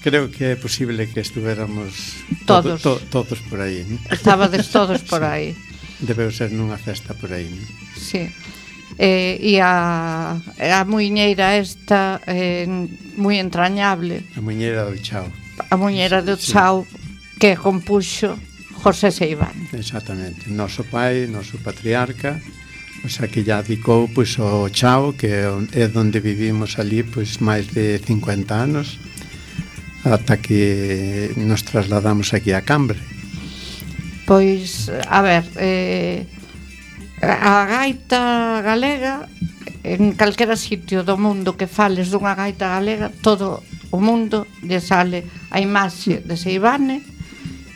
Creo que é posible que estuéramos todos por aí, ¿no? Estabades todos por aí. Debeu ser nunha festa por aí, ¿no? Sí. E a muiñeira esta moi entrañable. A muiñeira do Chao. A muiñeira do Chao, que compuxo José Seiván. Exactamente. Noso pai, noso patriarca, o sea, que ya dedicou pois, o Chao, que é onde vivimos ali pois, máis de 50 anos, ata que nos trasladamos aquí a Cambre. Pois, a ver, a gaita galega, en calquera sitio do mundo que fales dunha gaita galega, todo o mundo lle sale a imaxe de Seivane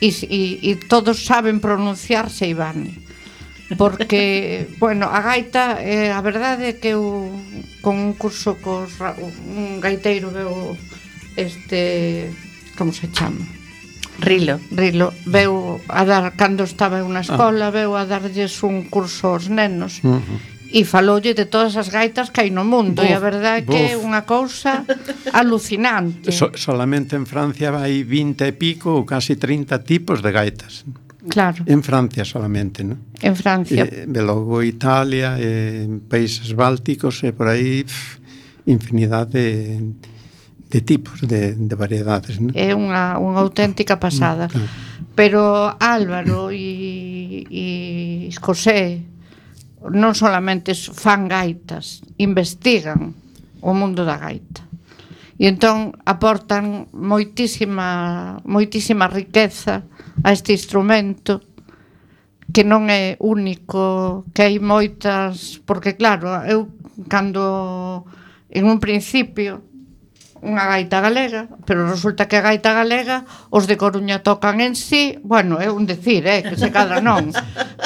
e todos saben pronunciar Seivane. Porque, bueno, a gaita, a verdade é que eu, con un curso un gaiteiro veu como se chama? Rilo, veu a dar, cando estaba en unha escola, veu a darlles un curso aos nenos, E faloulle de todas as gaitas que hai no mundo. E a verdade é que é unha cousa alucinante. Solamente en Francia hai 20 e pico ou casi 30 tipos de gaitas. Claro. En Francia solamente, ¿no? En Francia. E logo Italia, países bálticos, e por aí infinidade de tipos, de variedades, ¿no? É unha auténtica pasada. Claro. Pero Álvaro e José non solamente fan gaitas, investigan o mundo da gaita. E entón aportan moitísima riqueza a este instrumento que non é único, que hai moitas, porque claro, eu cando en un principio unha gaita galega, pero resulta que a gaita galega os de Coruña tocan en sí, bueno, é un decir, que se cadra non.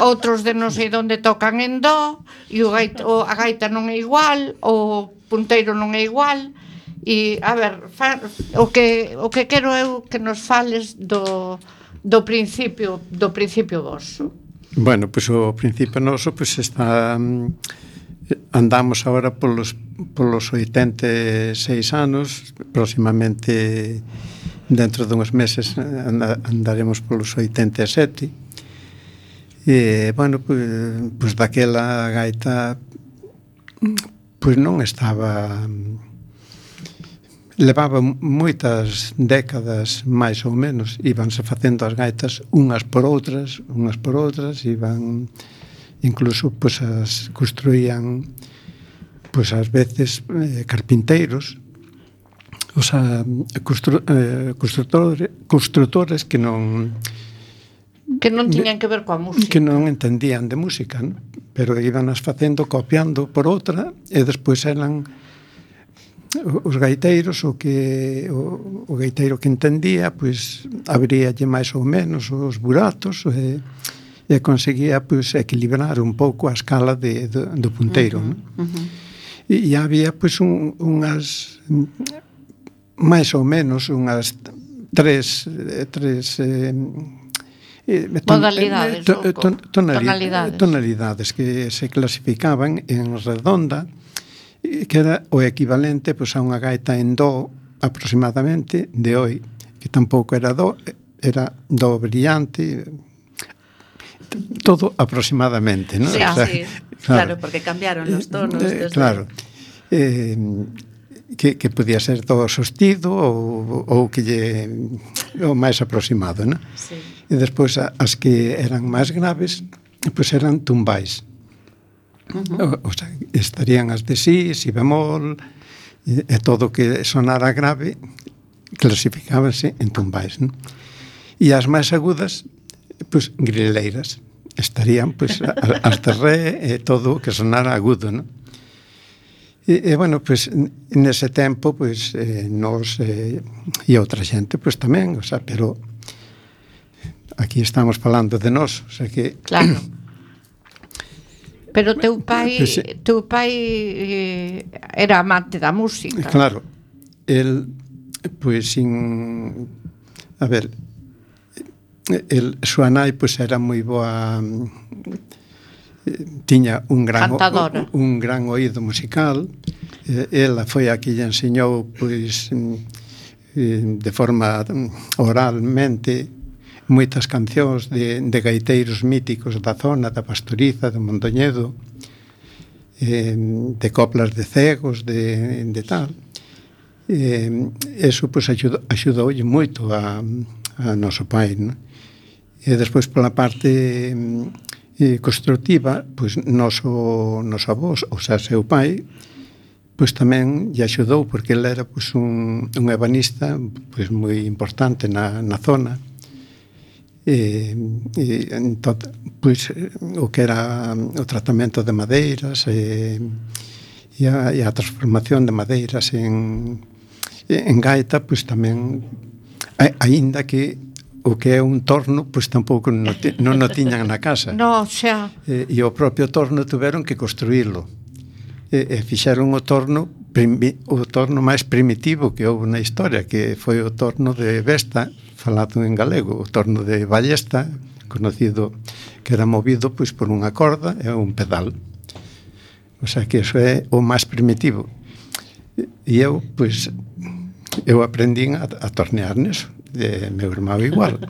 Outros de non sei onde tocan en do, e a gaita non é igual, o punteiro non é igual. E, a ver, o que quero eu que nos fales do principio vosso. Bueno, pois o principio noso está... Andamos agora polos 86 anos, próximamente dentro dunhos meses andaremos polos 87. E, bueno, pois daquela gaita pois non estaba... Levaba moitas décadas, máis ou menos, íbanse facendo as gaitas unhas por outras, iban... Incluso pois as construían pois ás veces carpinteiros, o sea, construtores que non tiñan que ver coa música, que non entendían de música, ¿no? Pero iban as facendo, copiando por outra, e despois eran os gaiteiros o gaiteiro que entendía, pois abríalle máis ou menos os buratos e conseguía pois equilibrar un pouco a escala do punteiro, ¿no? E había pois unhas máis ou menos unhas tres tonalidades que se clasificaban en redonda, que era o equivalente pois a unha gaita en do aproximadamente de hoy, que tampouco era do, era do brillante, todo aproximadamente, ¿no? Sí, o sea, sí, claro, porque cambiaron los tonos. Claro, que podía ser do sostido ou que lle o máis aproximado, ¿no? Sí. E despois as que eran máis graves, pois eran tumbais. O sea, estarían as de si bemol, e todo que sonara grave clasificábanse en tumbais, ¿no? E as máis agudas, pois grileiras, estarían pois as de re e todo que sonara agudo, ¿no? E bueno, pois nese tempo pois nos e outra xente pois tamén, o sea, pero aquí estamos falando de nós, o sea que claro. Pero teu pai era amante da música. Claro. El pois a ver, súa nai pois era moi boa, tiña un gran oído musical. Ela foi a que lle enseñou pois de forma oralmente moitas cancións de gaiteiros míticos da zona, da Pastoriza, de Mondoñedo, de coplas de cegos, de tal. Eso pois axudoulle moito a noso pai, non? E despois pola parte constructiva, pois noso avó, ou sea, seu pai, pois tamén lle axudou, porque ele era pois un ebanista pois moi importante na zona. Entón, pois o que era o tratamento de madeiras e a transformación de madeiras en gaita, pois tamén, aínda que o que é un torno, pois tampouco non o tiñan na casa. No, xa. E o propio torno tuveron que construílo. E fixeron o torno máis primitivo que houve na historia, que foi o torno de Vesta, falado en galego, o torno de Ballesta, conocido, que era movido pois por unha corda e un pedal. O sea que eso é o máis primitivo. E eu, pois, eu aprendín a tornear neso. Meu irmão igual.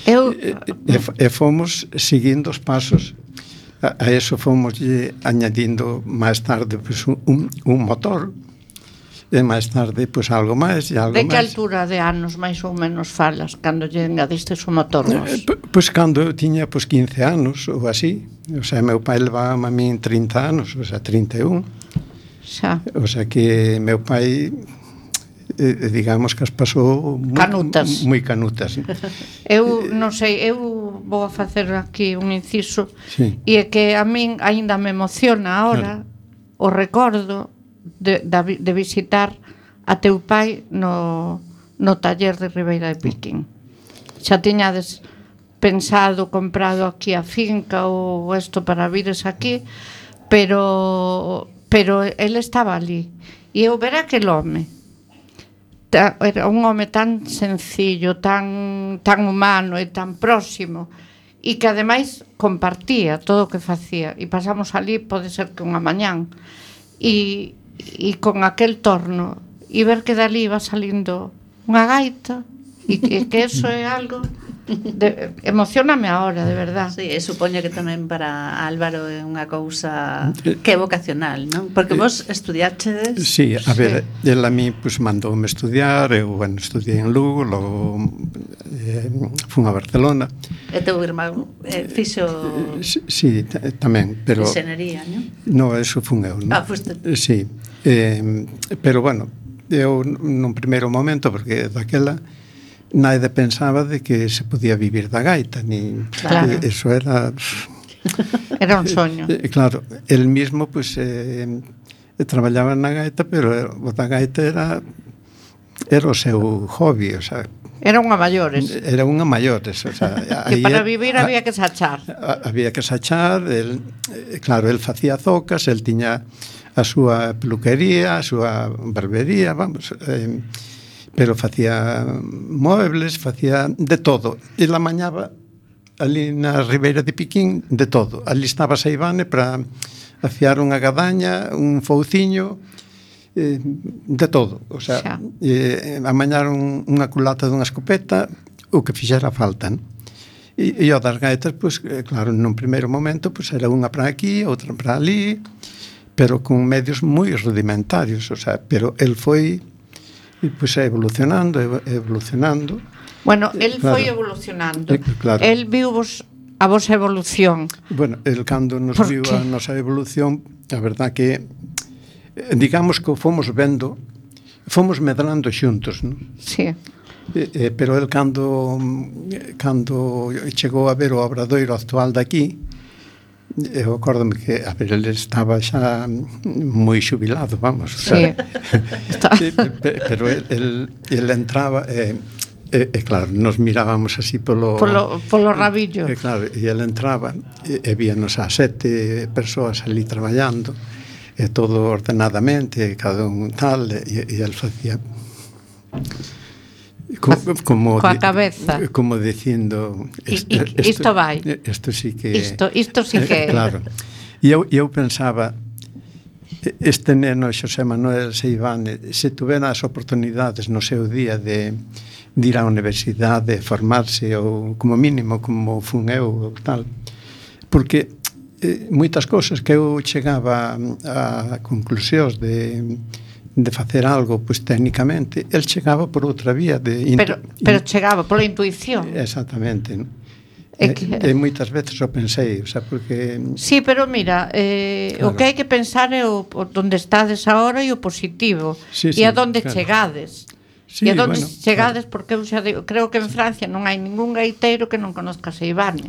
E fomos seguindo os pasos. A eso fomos añadindo máis tarde pues, un motor. E máis tarde, pois, algo máis e algo máis. De que altura de anos máis ou menos falas cando lle engadistes o motor? Pois cando eu tiña 15 anos ou así. O sea, meu pai levaba a min 30 anos, o sea, 31. Xa. O sea que meu pai, digamos que as pasou moi canutas. Eu non sei, eu vou a facer aquí un inciso, sí. E é que a min aínda me emociona ahora o recordo de visitar a teu pai no taller de Ribeira de Piquín. Xa tiñades pensado, comprado aquí a finca ou isto para vires aquí, pero ele estaba ali e eu ver aquel home, era un home tan sencillo, tan humano e tan próximo, e que ademais compartía todo o que facía, e pasamos ali, pode ser que unha mañán, e con aquel torno, e ver que dali iba salindo unha gaita, e que eso é algo emocioname ahora, de verdad. Sí, e supoño que tamén para Álvaro é unha cousa que é vocacional, non? Porque vos estudiachedes. Sí, a ver, el a mí pues, mandoume estudiar, eu, bueno, estudiei en Lugo, logo fun a Barcelona. E teu irmão fixo... Sí, tamén, pero... Enxenería, non? No, eso fun eu, non? Ah, fuste. Sí, pero, bueno, eu nun primeiro momento, porque daquela nadie pensaba de que se podía vivir da gaita, ni claro. Eso era... Era un soño. Claro, el mismo, pues, traballaba na gaita, pero o da gaita era o seu hobby, o sea... Era unha maiores. Era unha maiores, o sea... Que para vivir había que sachar. Había que sachar, claro, el facía zocas, el tiña a súa peluquería, a súa barbería, vamos... pero facía muebles, facía de todo. E la mañaba ali na Ribeira de Piquín de todo. Ali estaba Seivane para afiar unha gadaña, un fouciño, de todo. O sea, amañar unha culata dunha escopeta, o que fixera falta, non? E o das gaitas, pues, claro, nun primeiro momento, pues, era unha para aquí, outra para ali, pero con medios moi rudimentarios, o sea, pero el foi... E pois é evolucionando. Bueno, el foi evolucionando. Claro. El viu a vosa evolución. Bueno, el cando nos viu a nosa evolución, a verdad que digamos que fomos vendo, fomos medrando xuntos, non? Sí. Pero el cando chegou a ver o obradoiro actual daqui, eu acórdome que, a ver, ele estaba xa moi xubilado, vamos, o sea, sí. Pero el entraba claro, nos mirábamos así polo rabillo. Claro, e ele entraba e víanos a 7 persoas ali traballando, e todo ordenadamente, cada un tal, e el facía como coa cabeza, como dicindo isto vai, isto sí que isto sí que claro. E eu pensaba, este neno Xosé Manuel Seivane, se tuvera as oportunidades no seu día de ir á universidade, formarse, ou como mínimo como fun eu tal, porque moitas cousas que eu chegaba a conclusións de facer algo, pois, técnicamente, el chegaba por outra vía pero chegaba pola intuición. Exactamente, non? E moitas veces o pensei, o sea, porque... Sí, pero mira, claro. O que hai que pensar é onde estades agora e o positivo, e a donde chegades. E a donde chegades, porque eu xa digo, creo que en Francia non hai ningún gaiteiro que non conozca Seivane.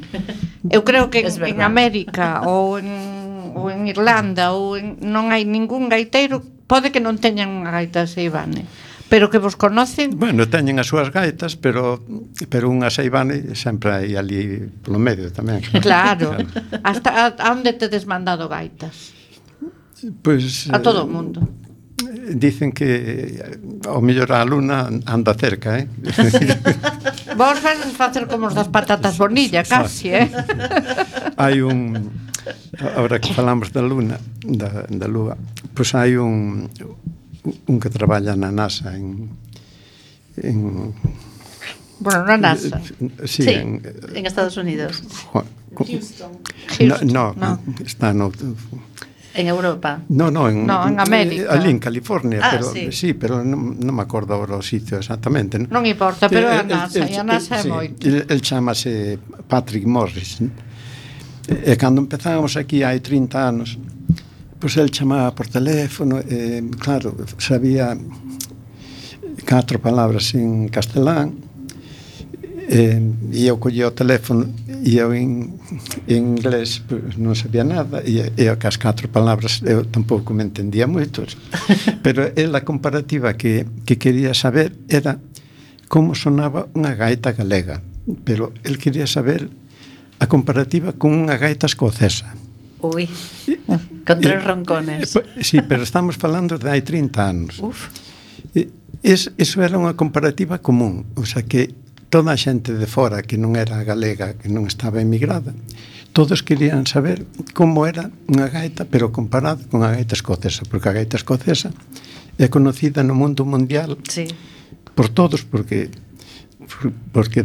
Eu creo que en América ou en Irlanda non hai ningún gaiteiro, pode que non teñan unha gaita de Seivane, pero que vos conocen. Bueno, teñen as súas gaitas, pero unha Seivane sempre hai ali polo medio tamén. Claro. Hasta onde tedes mandado gaitas? Pois a todo o mundo. Dicen que ao mellor a luna anda cerca, Vos vais facer como os das patatas bonilla, casi, Hai un Ahora que falamos da Luna, da Lúa, pois hai un que traballa na NASA bueno, na NASA. Sí, en Estados Unidos. Houston. No, está no... En Europa. No, en América. Ali en California, pero sí, pero non me acordo agora o sitio exactamente. Non importa, pero a NASA, e a NASA é moito. El chamase Patrick Morris. E cando empezamos aquí hai 30 anos, pois el chamaba por teléfono, claro, sabía 4 palabras en castelán, e eu collía o teléfono e eu en inglés pues, non sabía nada e que as 4 palabras eu tampouco me entendía moito, pero a comparativa que quería saber era como sonaba unha gaita galega, pero el quería saber a comparativa con unha gaita escocesa. Ui, con 3 roncones. Sí, pero estamos falando de hai 30 anos. Uf. Eso era unha comparativa común, o sea que toda a xente de fora que non era galega, que non estaba emigrada, todos querían saber como era unha gaita, pero comparado con a gaita escocesa, porque a gaita escocesa é conocida no mundo mundial por todos, porque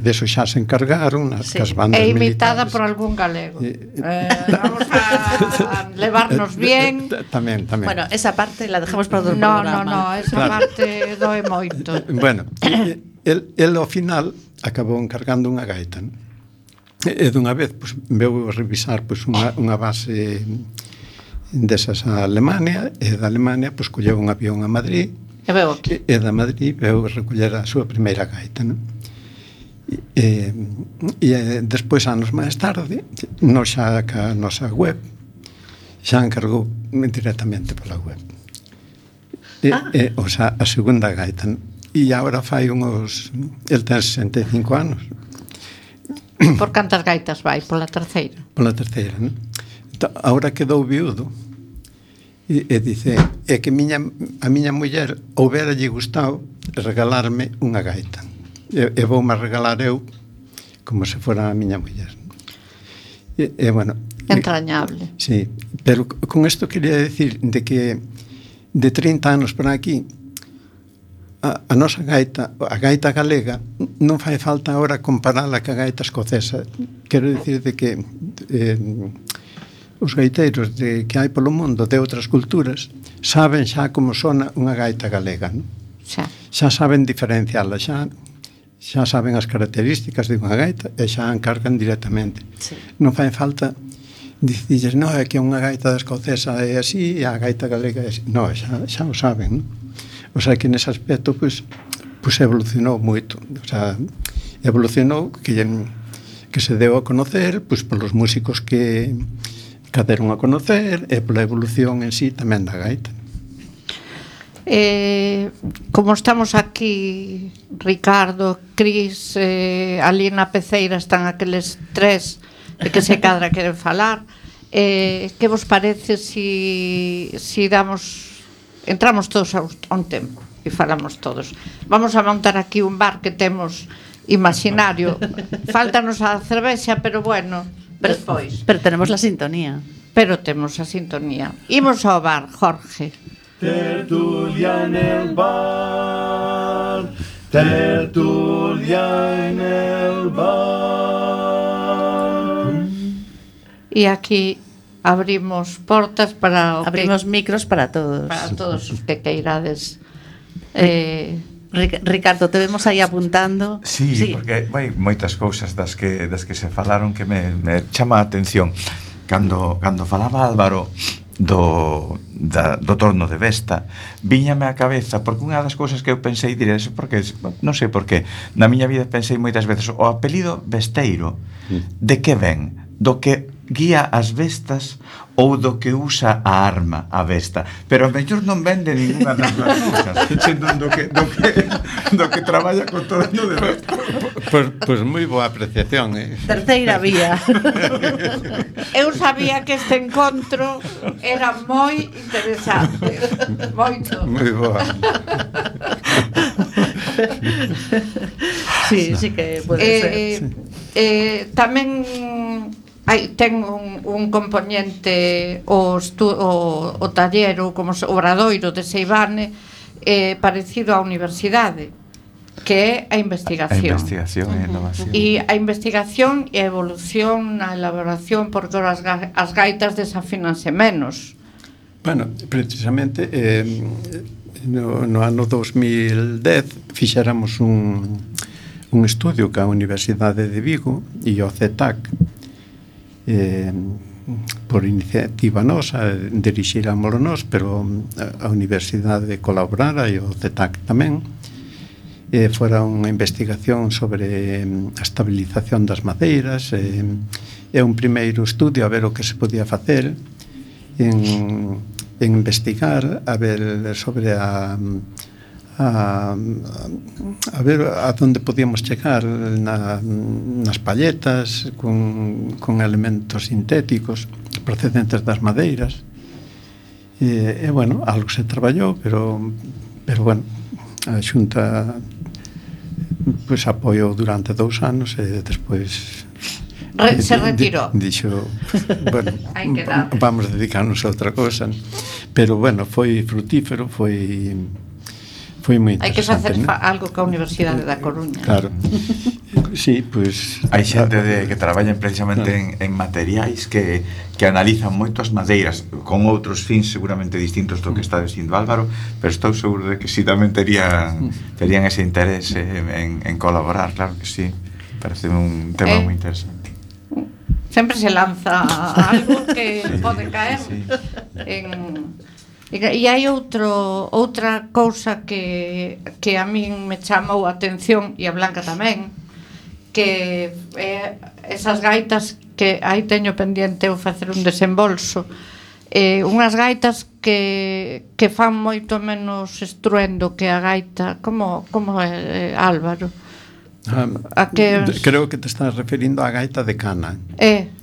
deso xa se encargaron as bandas militares. É imitada por algún galego. Vamos a levarnos bien. Tamén. Bueno, esa parte la dejamos para outro programa. No, esa parte doe moito. Bueno, el ao final acabou encargando unha gaita, non? E dunha vez pues, veu revisar pues, unha base desas a Alemania, e da Alemania pues, colleu un avión a Madrid, e da Madrid veu recoller a súa primeira gaita, non? E despois, anos máis tarde, xa a nosa web xa encargou directamente pola web. O sea, a segunda gaita, non? E agora fai unhos... El ten 65 anos. Por cantas gaitas vai? Pola terceira? Pola terceira, non? Agora quedou viudo e dice que a miña muller houbera lle gustado regalarme unha gaita e voume regalar eu como se fora a miña muller. Bueno, entrañable. Sí, pero con isto quería decir de que de 30 anos para aquí a nosa gaita, a gaita galega, non fai falta agora comparala ca gaita escocesa. Quero dicir de que os gaiteiros que hai polo mundo de outras culturas saben xa como sona unha gaita galega, non? Xa saben diferenciala, xa saben as características de unha gaita e xa encargan directamente. Non fai falta dicirles, non, é que unha gaita escocesa é así e a gaita galega é así. Non, xa o saben, non? O sea, que nese aspecto, pues evolucionou moito. O sea, evolucionou que se deu a conocer, pues, polos músicos que deron a conocer e pola evolución en sí tamén da gaita. Como estamos aquí, Ricardo, Cris, ali na peceira están aqueles 3 que se cadra queren falar, que vos parece si entramos todos a un tempo e falamos todos? Vamos a montar aquí un bar que temos imaginario. Faltanos a cervexa, pero bueno, despois. Pero tenemos la sintonía. Pero temos a sintonía. Imos ao bar, Jorge. Tertulia en el bar, tertulia en el bar. E aquí abrimos portas para micros para todos. Para todos os que queirades. Ricardo, te vemos aí apuntando. Sí, porque vai moitas cousas das que se falaron que me chama a atención. Cando falaba Álvaro do torno de Vesta, viñame á cabeza, porque unha das cousas que eu pensei diré, porque non sei por qué, na miña vida pensei moitas veces o apelido Vesteiro, de que ven? Do que guía as bestas ou do que usa a arma a besta, pero a mellor non vende ninguna das dúas cousas, sendo do que traballa con todo no de besta. Pois moi boa apreciación, Terceira vía. Eu sabía que este encontro era moi interesante. Moito. Moi boa. Sí que pode ser. Tamén ten un componente o taller ou como obradoiro de Seivane parecido á universidade, que é a investigación. A investigación e a innovación. E a investigación e a evolución na elaboración, porque as gaitas desafínanse menos. Bueno, precisamente no ano 2010 fixéramos un estudio ca Universidade de Vigo e o CETAC, por iniciativa nosa, dirixirámoslo nós, pero a Universidade colaborara e o CETAC tamén. Fora unha investigación sobre a estabilización das madeiras, é un primeiro estudio a ver o que se podía facer en investigar, a ver sobre a ver a donde podíamos chegar nas palletas con elementos sintéticos procedentes das madeiras, e bueno, algo se traballou, pero bueno, a Xunta pois apoiou durante 2 anos e despois se retirou. Dixo, bueno, vamos dedicarnos a outra cosa, pero bueno, foi frutífero, foi moi interesante. Hai que facer algo ca Universidade da Coruña. Claro. Sí, pois hai xente que traballan precisamente en materiais que analizan moito as madeiras con outros fins seguramente distintos do que está dicindo Álvaro, pero estou seguro de que si tamén terían ese interese en colaborar, claro que sí. Parece un tema moi interesante. Sempre se lanza algo que pode caer en... E hai outra cousa que a min me chamou a atención, e a Blanca tamén, que esas gaitas que aí teño pendiente eu facer un desembolso, unhas gaitas que fan moito menos estruendo que a gaita, como é, Álvaro? Creo que te estás referindo á gaita de cana.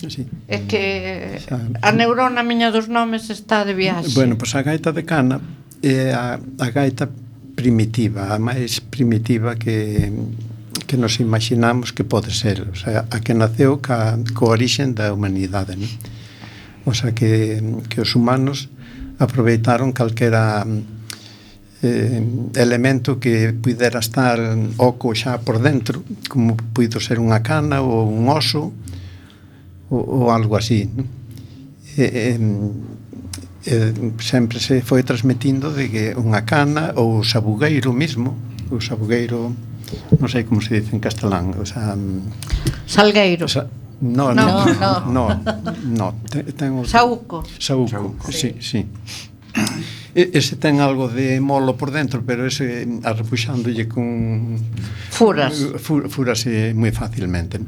Sí. É que a neurona miña dos nomes está de viaxe. Bueno, pois a gaita de cana é a gaita primitiva, a máis primitiva que nos imaginamos que pode ser, o sea, a que naceu coa orixen da humanidade, non? O sea, que os humanos aproveitaron calquera elemento que pudera estar oco xa por dentro, como puido ser unha cana ou un oso ou algo así, non? Sempre se foi transmitindo de que unha cana ou o sabugueiro mismo, o sabugueiro, non sei como se dice en castelán, o sea, salgueiro. No. Saúco. Sí. Ese ten algo de molo por dentro, pero ese arrepuxándolle con furase moi facilmente.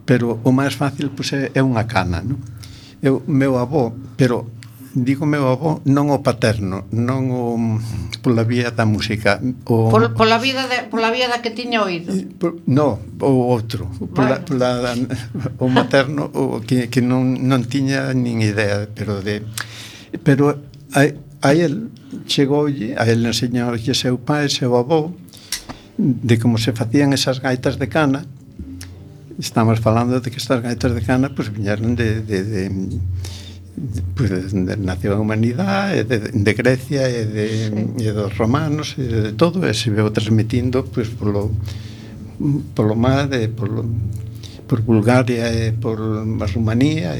Pero o máis fácil pois é unha cana, non? Meu avó, pero digo meu avó, non o paterno, non o pola vía da música, pola vía da que tiña oído. No, o outro, o materno, o que non tiña nin idea, pero a el chegoulle, a el enseñoulle seu pai, seu avó, de como se facían esas gaitas de cana. Estamos falando de que estas gaitas de cana pues viñeron de nació a humanidade, de Grecia e dos romanos, e de todo, e se veu transmitindo pues polo mar, por Bulgaria e por Rumanía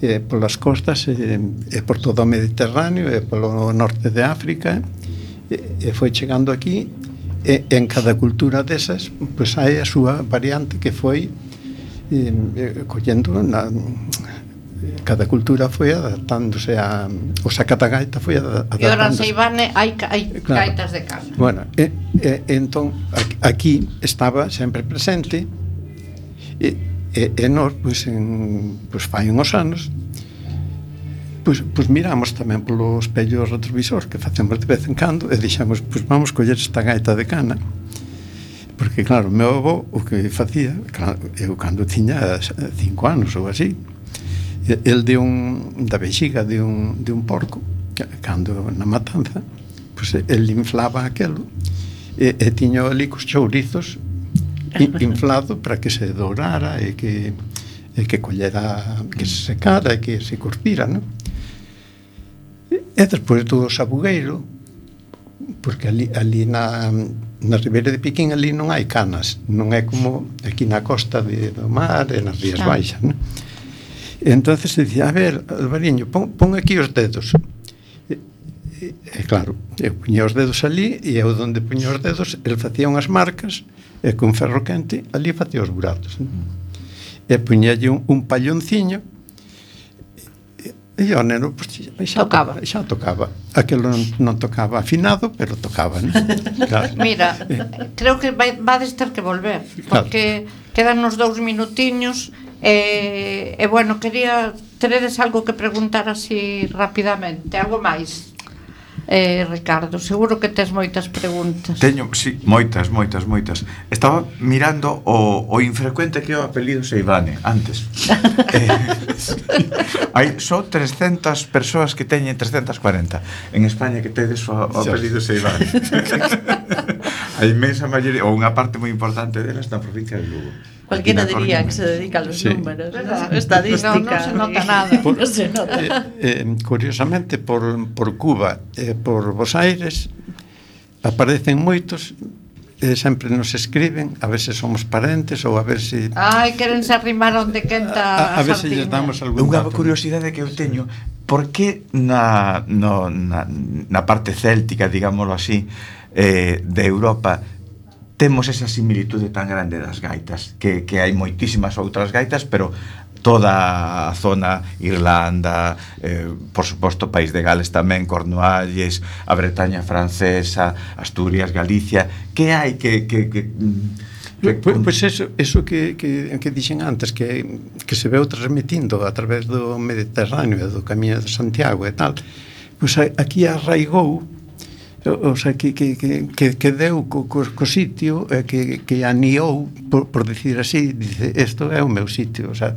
e polas costas e por todo o Mediterráneo e polo norte de África, e foi chegando aquí, e en cada cultura desas pois hai a súa variante que foi collendo cada cultura foi adaptándose o sacatagaita foi adaptándose. E ora en Seivane hai gaitas de cana. Bueno, entón aquí estaba sempre presente, e nós, pois fai uns anos, pois miramos tamén polo espello retrovisor que facemos de vez en cando e dixamos, pois vamos coller esta gaita de cana, porque claro, o meu avó o que facía, claro, eu cando tiña 5 anos ou así, el da vexiga de un porco, cando na matanza, pois el inflaba aquelo e tiña ali cos chourizos inflado para que se dourara e que e que collera, que se secara e que se curtira, non? E despois do sabugueiro, porque ali na Ribeira de Piquín ali non hai canas, non é como aquí na costa do mar e nas Rías Baixas, non? E entonces se dicía, a ver, Alvariño, pon aquí os dedos. E claro, eu puña os dedos ali e eu onde puña os dedos el facía unhas marcas e con ferro quente ali facía os buratos, non? E puñalle un pallonciño e o neno xa tocaba. Aquelo non tocaba afinado, pero tocaba, non? Claro. Mira, creo que vades ter que volver, porque quedan uns 2 minutiños e bueno, teredes algo que preguntar así rapidamente, algo máis? Ricardo, seguro que tes moitas preguntas. Teño, sí, moitas. Estaba mirando o infrecuente que é o apelido Seivane antes. Hai só 300 persoas que teñen 340 en España que tedes o apelido Seivane. A inmensa maioría, ou unha parte moi importante delas na provincia de Lugo. Cualquiera diría que se dedica a los números, ¿no? Estadística. No se nota nada. No se nota. Curiosamente, por Cuba e por Bos Aires aparecen moitos e sempre nos escriben a ver se somos parentes ou a ver se... querense arrimar onde quenta a ver se lles damos algún Unha dato. curiosidade que eu teño, por que na parte céltica, digámoslo así, de Europa temos esa similitude tan grande das gaitas, que hai moitísimas outras gaitas, pero toda a zona, Irlanda, por suposto País de Gales tamén, Cornualles, a Bretaña francesa, Asturias, Galicia, que hai que Pois eso que dixen antes, que se veu transmitindo a través do Mediterráneo e do Camiño de Santiago e tal, pois aquí arraigou, o sea, que deu co sitio, que aniou, por decir así, dice, isto é o meu sitio, o sea,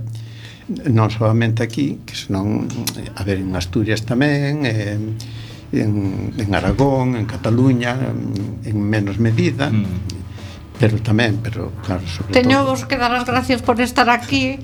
non solamente aquí, que senón, a ver, en Asturias tamén, en Aragón, en Cataluña, en menos medida, pero tamén, claro, sobre todo. Teño vos que dar as gracias por estar aquí.